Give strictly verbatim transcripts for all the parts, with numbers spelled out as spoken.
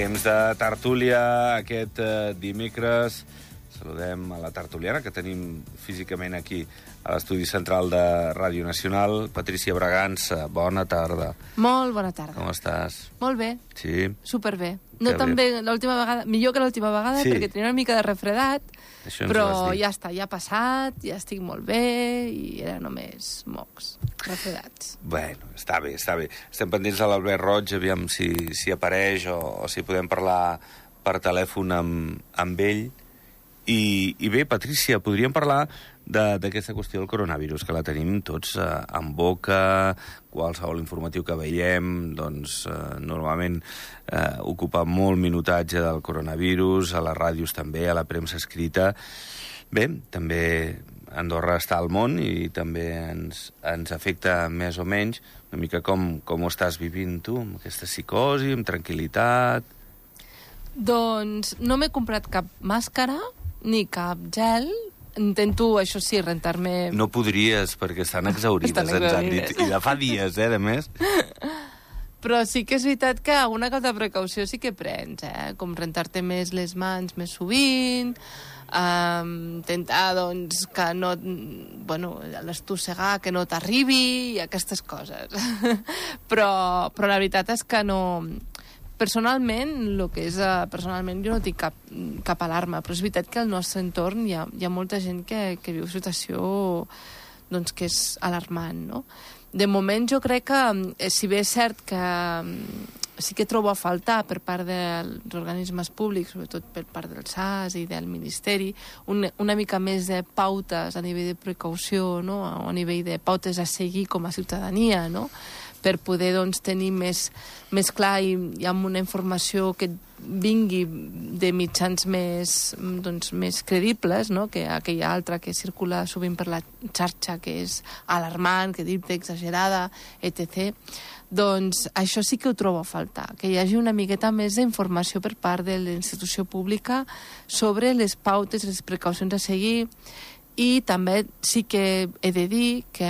Temps de tertúlia aquest eh, dimecres. Saludem a la tertuliana que tenim físicament aquí a l'estudi central de Ràdio Nacional. Patrícia Bragança, bona tarda. Molt bona tarda. Com estàs? Molt bé. Sí? Superbé. No Que tan bé. bé l'última vegada, millor que l'última vegada, Sí. perquè tenia una mica de refredat, Això ens ho però vas dir. ja està, ja ha passat, ja estic molt bé, i era només mocs, refredats. Bueno, està bé, està bé. Estem pendents de l'Albert Roig, aviam si, si apareix o, o si podem parlar per telèfon amb, amb ell. I, I bé, Patrícia, podríem parlar d'aquesta qüestió del coronavirus, que la tenim tots eh, en boca. Qualsevol informatiu que veiem, doncs, eh, normalment eh, ocupa molt minutatge del coronavirus, a les ràdios també, a la premsa escrita. Bé, també Andorra està al món i també ens, ens afecta més o menys. Una mica com, com ho estàs vivint tu, amb aquesta psicosi, amb tranquil·litat. Doncs no m'he comprat cap màscara, ni cap gel. Intento, això sí, rentar-me... No podries, perquè estan exaurides, Estan ens han exaurides. dit. I de fa dies, eh, de més. Però sí que és veritat que alguna cosa de precaució sí que prens, eh? Com rentar-te més les mans més sovint, um, intentar, doncs, que no... Bueno, l'estossegar, que no t'arribi, i aquestes coses. però, però la veritat és que no... Personalment, el que és, uh, personalment jo no tinc cap, cap alarma, però és veritat que al nostre entorn hi ha, hi ha molta gent que, que viu situació doncs, que és alarmant, no? De moment jo crec que, eh, si bé és cert que um, sí que trobo a faltar per part dels organismes públics, sobretot per part del S A S i del Ministeri, un, una mica més de pautes a nivell de precaució, no? O a nivell de pautes a seguir com a ciutadania, no? Per poder, doncs, tenir més, més clar i, i amb una informació que vingui de mitjans més, doncs, més credibles, no? Que aquella altra que circula sovint per la xarxa, que és alarmant, que dita, exagerada, etcètera. Doncs això sí que ho trobo a faltar, que hi hagi una miqueta més d'informació per part de la institució pública sobre les pautes, les precaucions a seguir. I també sí que he de dir que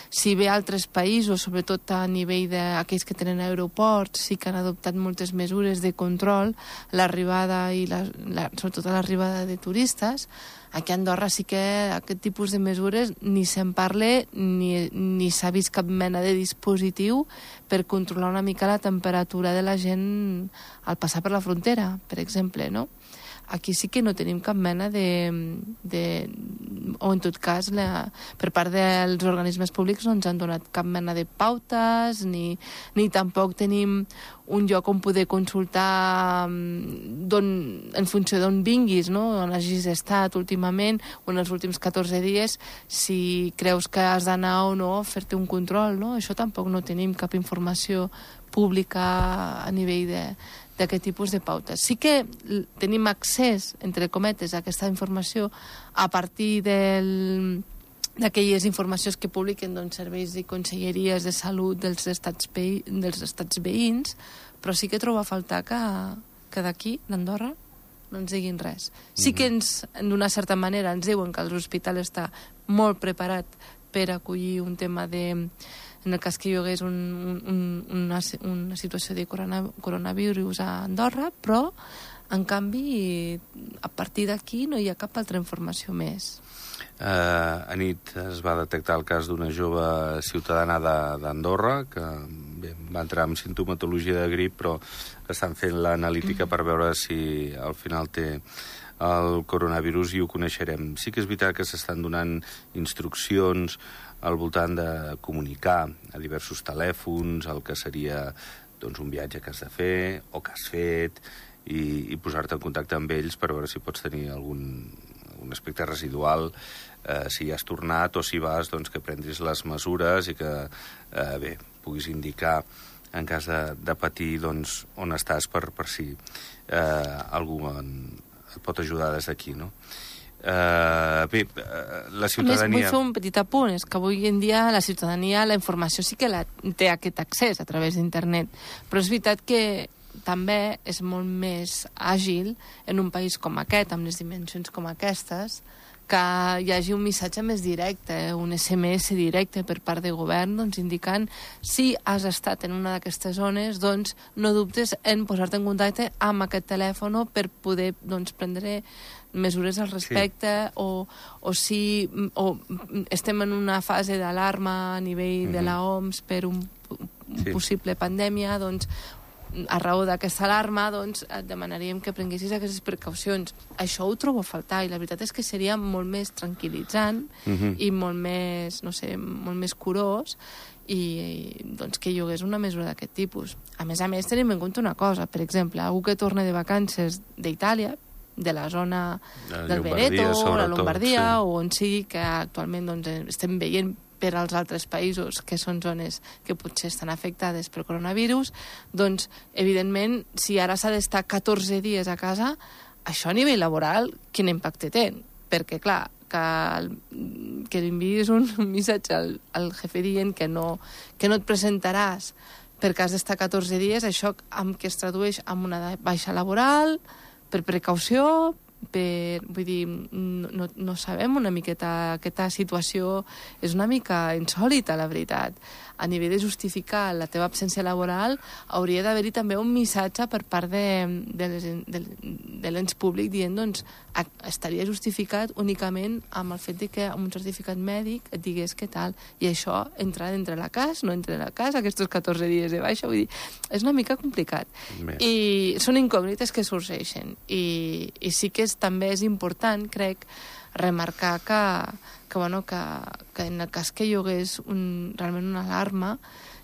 si bé altres països, sobretot a nivell d'aquells que tenen aeroports, sí que han adoptat moltes mesures de control, l'arribada i la, la, sobretot a l'arribada de turistes, aquí a Andorra sí que aquest tipus de mesures ni se'n parla ni, ni s'ha vist cap mena de dispositiu per controlar una mica la temperatura de la gent al passar per la frontera, per exemple, no? Aquí sí que no tenim cap mena de... de o, en tot cas, la, per part dels organismes públics no ens han donat cap mena de pautes, ni, ni tampoc tenim un lloc on poder consultar en funció d'on vinguis, no? On hagis estat últimament, o en els últims catorze dies, si creus que has d'anar o no a fer-te un control, no? Això tampoc no tenim cap informació pública a nivell de... d'aquest tipus de pautes. Sí que tenim accés, entre cometes, a aquesta informació a partir del, d'aquelles informacions que publiquen, doncs, serveis i conselleries de salut dels estats, veï, dels estats veïns, però sí que trobo a faltar que, que d'aquí, d'Andorra, no ens diguin res. Sí que ens, d'una certa manera, ens diuen que l'hospital està molt preparat per acollir un tema de... en el cas que hi hagués un, un, una, una situació de corona, coronavirus a Andorra, però, en canvi, a partir d'aquí no hi ha cap altra informació més. Uh, a nit es va detectar el cas d'una jove ciutadana d'Andorra que bé, va entrar amb sintomatologia de grip, però estan fent l'analítica per veure si al final té el coronavirus i ho coneixerem. Sí que és veritat que s'estan donant instruccions al voltant de comunicar a diversos telèfons el que seria, doncs, un viatge que has de fer o que has fet i, i posar-te en contacte amb ells per veure si pots tenir algun, algun aspecte residual, eh, si ja has tornat o si vas, doncs, que prendris les mesures i que, eh, bé, puguis indicar en cas de, de patir, doncs, on estàs per, per si eh, algú en, et pot ajudar des d'aquí, no? Uh, bé, uh, la ciutadania... A més, vull fer un petit apunt, és que avui en dia la ciutadania, la informació sí que la, té aquest accés a través d'internet, però és veritat que també és molt més àgil en un país com aquest, amb les dimensions com aquestes, que hi hagi un missatge més directe, un esse eme esse directe per part de govern, doncs indicant si has estat en una d'aquestes zones, doncs no dubtes en posar-te en contacte amb aquest telèfon per poder doncs, prendre mesures al respecte, sí. o, o si o estem en una fase d'alarma a nivell mm-hmm. de la O M S per un, un sí. possible pandèmia, doncs a raó d'aquesta alarma, doncs, et demanaríem que prenguessis aquestes precaucions. Això ho trobo a faltar, i la veritat és que seria molt més tranquil·litzant mm-hmm. i molt més, no sé, molt més curós, i, i doncs, que hi hagués una mesura d'aquest tipus. A més a més, tenim en compte una cosa, per exemple, algú que torna de vacances d'Itàlia, de la zona la del Veneto, la Lombardia, sí. o on sigui, que actualment doncs, estem veient per als altres països que són zones que potser estan afectades pel coronavirus, doncs, evidentment, si ara s'ha d'estar catorze dies a casa, això a nivell laboral, quin impacte té? Perquè, clar, que, que li enviïs un, un missatge al, al jefe dient que no, que no et presentaràs perquè has d'estar catorze dies, això amb què es tradueix en una baixa laboral, per precaució, per, vull dir, no, no sabem una miqueta, aquesta situació és una mica insòlita, la veritat. A nivell de justificar la teva absència laboral, hauria d'haver-hi també un missatge per part de, de, les, de, de l'ens públic dient, doncs, estaria justificat únicament amb el fet de que amb un certificat mèdic et digués què tal, i això entra dintre la casa, no entra la casa, aquests catorze dies de baixa, vull dir, és una mica complicat. Més. I són incògnites que sorgeixen, i, i sí que és, també és important, crec, remarcar que, que, bueno, que, que en el cas que hi hagués un, realment una alarma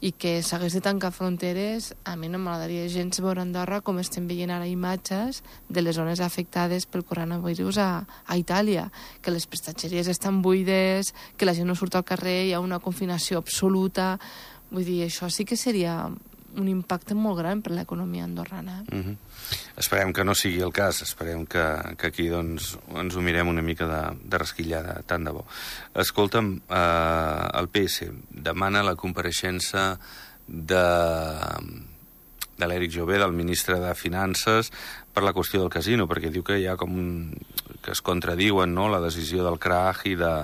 i que s'hagués de tancar fronteres, a mi no m'agradaria gens veure Andorra com estem veient ara imatges de les zones afectades pel coronavirus a, a Itàlia, que les prestatgeries estan buides, que la gent no surt al carrer, hi ha una confinació absoluta. Vull dir, això sí que seria un impacte molt gran per l'economia andorrana. Mm-hmm. Esperem que no sigui el cas, esperem que, que aquí doncs, ens ho mirem una mica de, de resquillada, tant de bo. Escolta'm, eh, el P S demana la compareixença de, de l'Eric Jové, del ministre de Finances, per la qüestió del casino, perquè diu que hi ha com un, que es contradiuen, no?, la decisió del C R A G i de,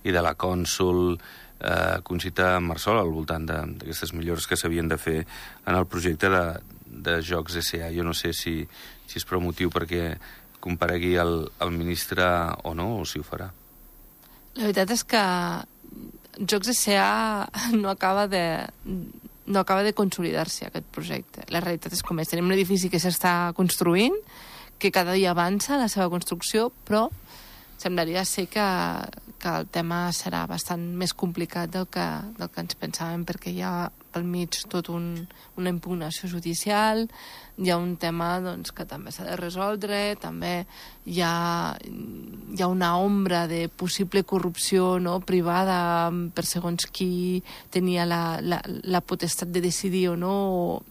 i de la cònsul eh, Conxita Marsol al voltant d'aquestes millores que s'havien de fer en el projecte de, de Jocs S A. Jo no sé si, si és prou motiu perquè comparegui el, el ministre o no, o si ho farà. La veritat és que Jocs S A no acaba de, no acaba de consolidar-se, aquest projecte. La realitat és com és. Tenim un edifici que s'està construint, que cada dia avança la seva construcció, però semblaria ser que, que el tema serà bastant més complicat del que, del que ens pensàvem, perquè hi ha pel mig tot un, una impugnació judicial, hi ha un tema doncs, que també s'ha de resoldre, també hi ha, hi ha una ombra de possible corrupció, no?, privada per segons qui tenia la, la, la potestat de decidir o no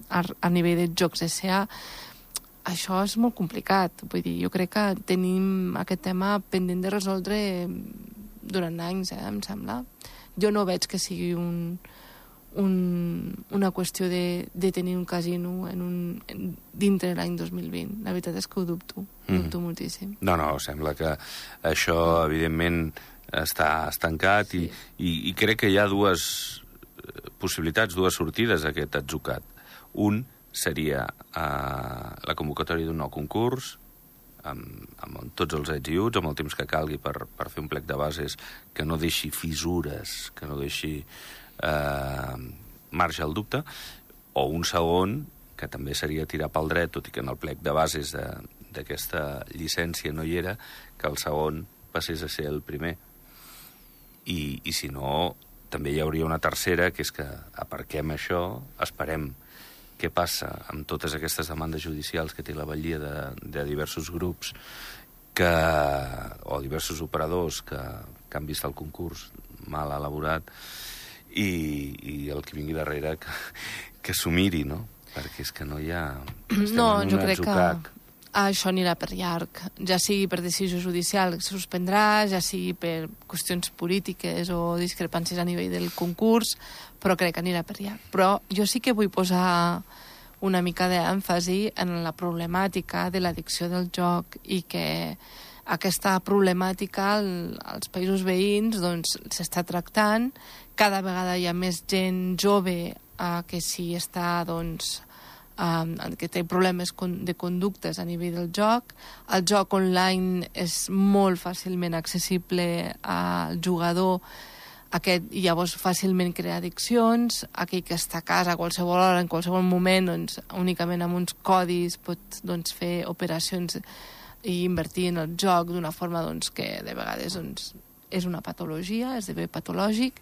a, a nivell de Jocs S A. Això és molt complicat. Vull dir, jo crec que tenim aquest tema pendent de resoldre durant anys, eh, em sembla. Jo no veig que sigui un, un, una qüestió de, de tenir un casino en un, en, dintre l'any dos mil vint. La veritat és que ho dubto, mm. dubto moltíssim. No, no, sembla que això, evidentment, està estancat i, sí. i, i crec que hi ha dues possibilitats, dues sortides a aquest atzucat. Un seria eh, la convocatòria d'un nou concurs amb, amb tots els ets i uts, amb el temps que calgui per, per fer un plec de bases que no deixi fissures, que no deixi eh, marge al dubte, o un segon, que també seria tirar pel dret, tot i que en el plec de bases d'aquesta llicència no hi era, que el segon passés a ser el primer. I, i si no, també hi hauria una tercera, que és que aparquem això, esperem què passa amb totes aquestes demandes judicials que té la batllia de, de diversos grups que, o diversos operadors que, que han vist el concurs mal elaborat i, i el que vingui darrere que, que s'ho miri, no? Perquè és que no hi ha... No, jo crec atzucac. que això anirà per llarg, ja sigui per decisió judicial que se suspendrà, ja sigui per qüestions polítiques o discrepàncies a nivell del concurs, però crec que anirà per llarg. Però jo sí que vull posar una mica d'èmfasi en la problemàtica de l'addicció del joc i que aquesta problemàtica als països veïns doncs, s'està tractant. Cada vegada hi ha més gent jove eh, que si està, doncs, eh, que té problemes de conductes a nivell del joc. El joc online és molt fàcilment accessible al jugador, aquest llavors fàcilment crea addiccions. Aquell que està a casa a qualsevol hora, en qualsevol moment, doncs, únicament amb uns codis pot doncs, fer operacions i invertir en el joc d'una forma doncs, que de vegades doncs, és una patologia, esdevé patològic,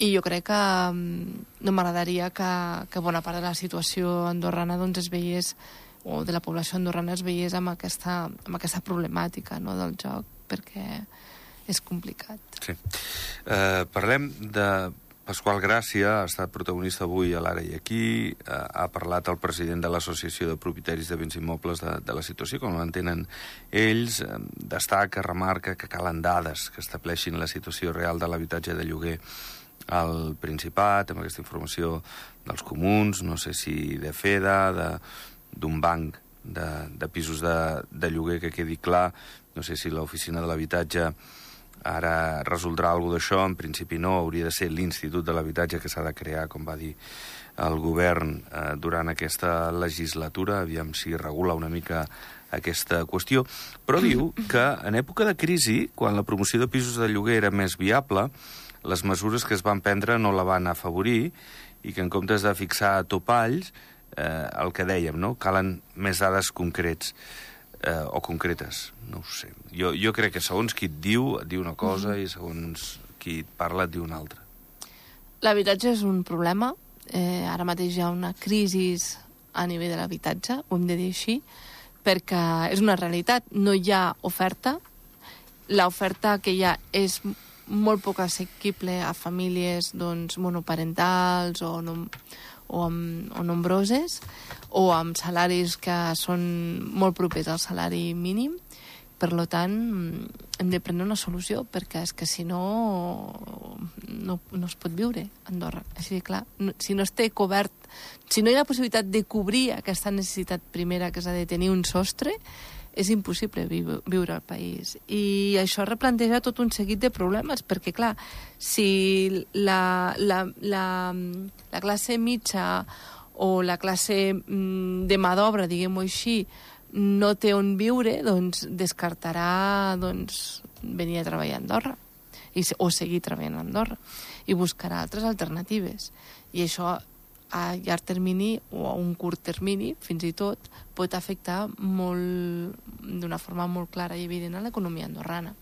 i jo crec que no m'agradaria que, que bona part de la situació andorrana doncs, es veiés, o de la població andorrana es veiés amb aquesta, amb aquesta problemàtica, no, del joc, perquè és complicat. Sí. Eh, parlem de Pasqual Gràcia, ha estat protagonista avui a l'Ara i Aquí, eh, ha parlat el president de l'Associació de Propietaris de Béns Immobles de, de la situació, com l'entenen ells, eh, destaca, remarca que calen dades que estableixin la situació real de l'habitatge de lloguer al Principat, amb aquesta informació dels comuns, no sé si de FEDA, d'un banc de, de pisos de, de lloguer, que quedi clar, no sé si l'oficina de l'habitatge ara resoldrà alguna cosa d'això. En principi no, hauria de ser l'Institut de l'Habitatge que s'ha de crear, com va dir el govern eh, durant aquesta legislatura, aviam si regula una mica aquesta qüestió, però diu que en època de crisi, quan la promoció de pisos de lloguer era més viable, les mesures que es van prendre no la van afavorir i que en comptes de fixar topalls, eh, el que dèiem, no? Calen més dades concrets. Eh, o concretes, no ho sé. Jo, jo crec que segons qui et diu, et diu una cosa, mm-hmm. i segons qui et parla et diu una altra. L'habitatge és un problema. Eh, ara mateix hi ha una crisi a nivell de l'habitatge, ho hem de dir així, perquè és una realitat. No hi ha oferta. L'oferta que hi ha és molt poc assequible a famílies doncs, monoparentals o no, o, amb, o nombroses, o amb salaris que són molt propers al salari mínim. Per tant, hem de prendre una solució, perquè és que si no, no, no es pot viure a Andorra. Així de clar, no, si no es té cobert, si no hi ha la possibilitat de cobrir aquesta necessitat primera, que és la de tenir un sostre, és impossible viure al país. I això replanteja tot un seguit de problemes, perquè, clar, si la, la, la, la classe mitja o la classe de mà d'obra, diguem-ho així, no té on viure, doncs descartarà doncs, venir a treballar a Andorra i, o seguir treballant a Andorra i buscarà altres alternatives. I això a llarg termini o a un curt termini, fins i tot, pot afectar molt, d'una forma molt clara i evident a l'economia andorrana.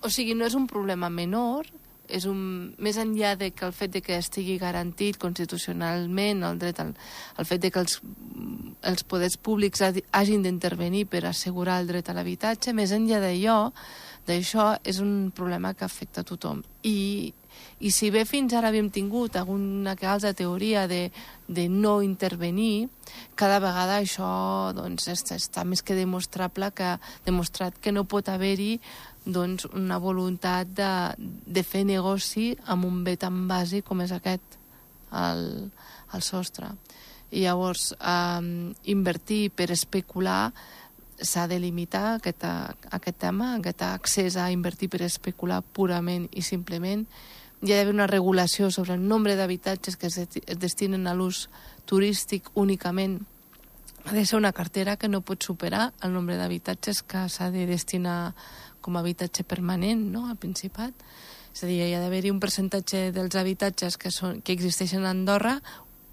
O sigui, no és un problema menor, és un, més enllà de que el fet de que estigui garantit constitucionalment el dret al, el fet de que els, els poders públics hagin d'intervenir per assegurar el dret a l'habitatge, més enllà d'allò, d'això és un problema que afecta a tothom. I, i si bé fins ara havíem tingut alguna que altra teoria de, de no intervenir, cada vegada això doncs, està, està més que demostrable que, demostrat que no pot haver-hi doncs, una voluntat de, de fer negoci amb un bé tan bàsic com és aquest, el, el sostre. I llavors, eh, invertir per especular s'ha de limitar aquest, aquest tema, aquest accés a invertir per especular purament i simplement. Hi ha d'haver una regulació sobre el nombre d'habitatges que es, es destinen a l'ús turístic únicament. Ha de ser una cartera que no pot superar el nombre d'habitatges que s'ha de destinar com a habitatge permanent, no?, al Principat. És a dir, hi ha d'haver-hi un percentatge dels habitatges que, són, que existeixen a Andorra,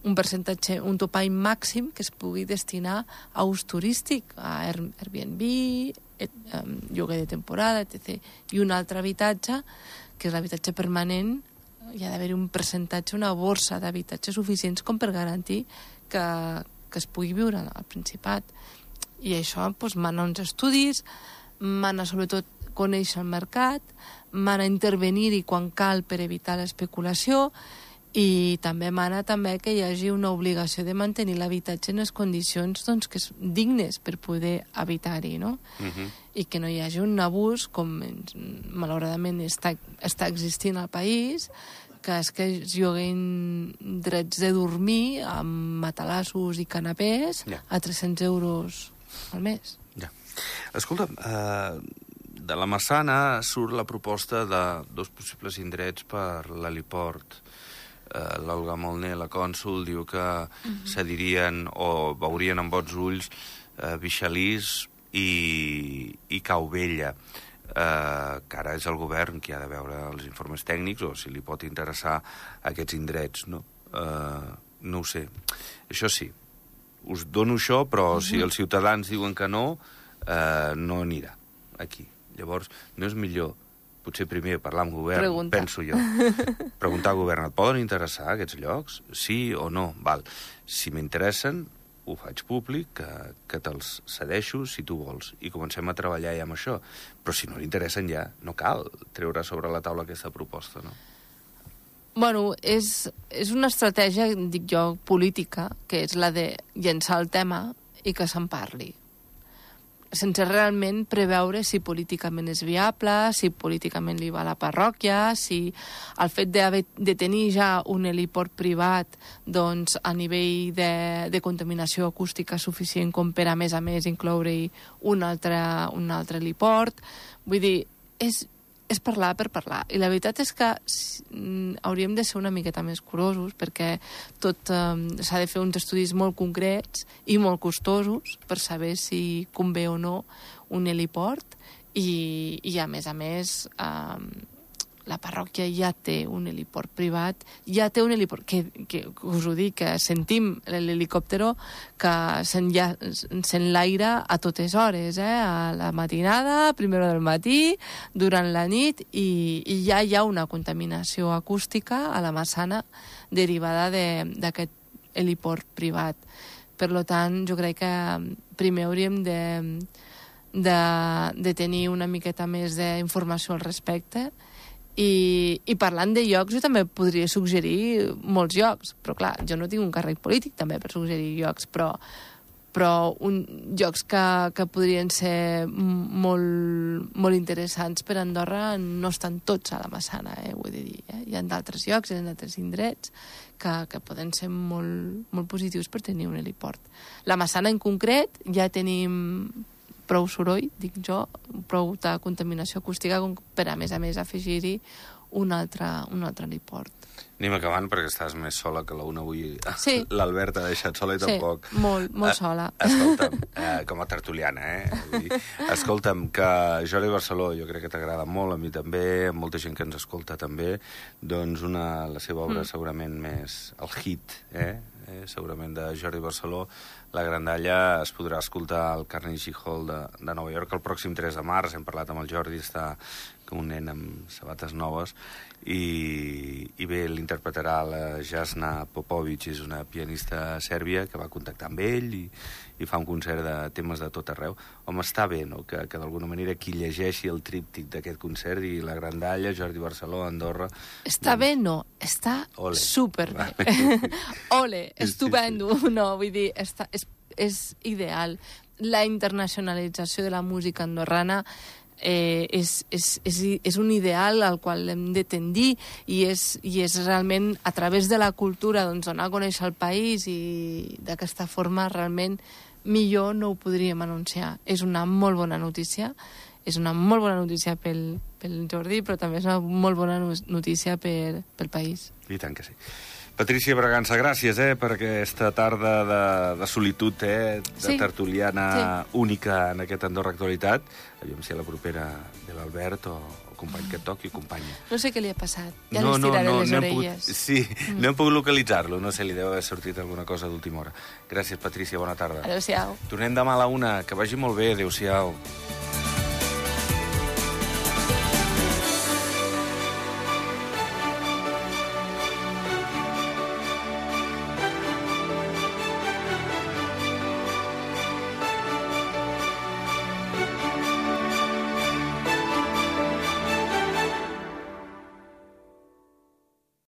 un percentatge, un topall màxim que es pugui destinar a ús turístic, a Airbnb, et, um, lloguer de temporada, etcètera. I un altre habitatge, que és l'habitatge permanent, hi ha d'haver un percentatge, una borsa d'habitatges suficients com per garantir que, que es pugui viure al Principat. I això doncs, mana uns estudis, mana sobretot conèixer el mercat, mana intervenir-hi quan cal per evitar l'especulació, i també mana també que hi hagi una obligació de mantenir l'habitatge en les condicions doncs, que són dignes per poder habitar-hi, no? Uh-huh. I que no hi hagi un abús, com malauradament està, està existint al país, que és que es lloguin drets de dormir amb matalassos i canapés yeah. a tres-cents euros al mes. Ja. Yeah. Escolta, eh, de la Massana surt la proposta de dos possibles indrets per l'heliport. Eh, L'Olga Molné, la cònsol, diu que uh-huh. cedirien o veurien amb bons ulls eh, Bixalís i, i Cau Vella, eh, que ara és el govern qui ha de veure els informes tècnics o si li pot interessar aquests indrets, no? Eh, no ho sé. Això sí, us dono això, però uh-huh. si els ciutadans diuen que no, eh, no anirà aquí. Llavors, no és millor potser primer parlar amb govern, Pregunta. penso jo. Preguntar al govern, et poden interessar aquests llocs? Sí o no? Val. Si m'interessen, ho faig públic, que, que te'ls cedeixo si tu vols. I comencem a treballar ja amb això. Però si no li interessen ja, no cal treure sobre la taula aquesta proposta, no? Bueno, és, és una estratègia, dic jo, política, que és la de llençar el tema i que se'n parli, sense realment preveure si políticament és viable, si políticament li va a la parròquia, si el fet de, de tenir ja un heliport privat doncs, a nivell de, de contaminació acústica suficient com per, a més a més, incloure-hi un altre, un altre heliport. Vull dir, és, és parlar per parlar. I la veritat és que hauríem de ser una miqueta més curosos, perquè tot eh, s'ha de fer uns estudis molt concrets i molt costosos per saber si convé o no un heliport i, i a més a més eh, la parròquia ja té un heliport privat, ja té un heliport, que, que us ho dic, que sentim l'helicòptero que s'enlaira a totes hores, eh? A la matinada, a primera del matí, durant la nit, i, i ja hi ha una contaminació acústica a la Massana derivada d'aquest heliport privat. Per tant, jo crec que primer hauríem de, de, de tenir una miqueta més d'informació al respecte. I, i parlant de llocs, jo també podria suggerir molts llocs, però clar, jo no tinc un càrrec polític també per suggerir llocs, però, però un, llocs que, que podrien ser molt, molt interessants per Andorra no estan tots a la Massana, eh, ho he de dir. Eh? Hi ha d'altres llocs, hi ha d'altres indrets que, que poden ser molt, molt positius per tenir un heliport. La Massana en concret ja tenim prou soroll, dic jo, prou de contaminació acústica com per a més a més afegir-hi un altre, un altre heliport. Anem acabant perquè estàs més sola que la una avui. Sí. L'Albert ha deixat sola i sí, tampoc. molt, molt sola. Eh, escolta'm, eh, com a tertuliana, eh? Vull dir, escolta'm, que Jordi Barceló jo crec que t'agrada molt, a mi també, a molta gent que ens escolta també, doncs una, la seva obra mm. segurament més el hit, eh? eh? Segurament de Jordi Barceló, La Grandalla, es podrà escoltar al Carnegie Hall de, de Nova York el pròxim tres de març. Hem parlat amb el Jordi, està com un nen amb sabates noves, i, i bé, l'interpretarà la Jasna Popovic, és una pianista sèrbia que va contactar amb ell i, i fa un concert de temes de tot arreu. Home, està bé, no?, que, que d'alguna manera qui llegeixi el tríptic d'aquest concert i La Grandalla, Jordi Barceló, Andorra... Està doncs... bé, no, està Ole. superbé. Ole, estupendo. Sí, sí. No, vull dir, està, és, és ideal. La internacionalització de la música andorrana Eh, és, és, és, és un ideal al qual hem de tendir i és, i és realment a través de la cultura doncs, donar a conèixer el país, i d'aquesta forma realment millor no ho podríem anunciar. És una molt bona notícia, és una molt bona notícia pel, pel Jordi, però també és una molt bona notícia per, pel país. I tant que sí. Patrícia Bragança, gràcies eh, per aquesta tarda de, de solitud, eh, de sí, tertuliana sí. única en aquest Andorra Actualitat. Aviam si a la propera ve l'Albert o el company que et toqui, companya. No sé què li ha passat, ja no, li estiraré no, no, les no orelles. Pogut, sí, mm. no hem pogut localitzar-lo, no sé, li deu haver sortit alguna cosa d'última hora. Gràcies, Patrícia, bona tarda. Adéu-siau. Tornem demà a la una, que vagi molt bé, adéu-siau.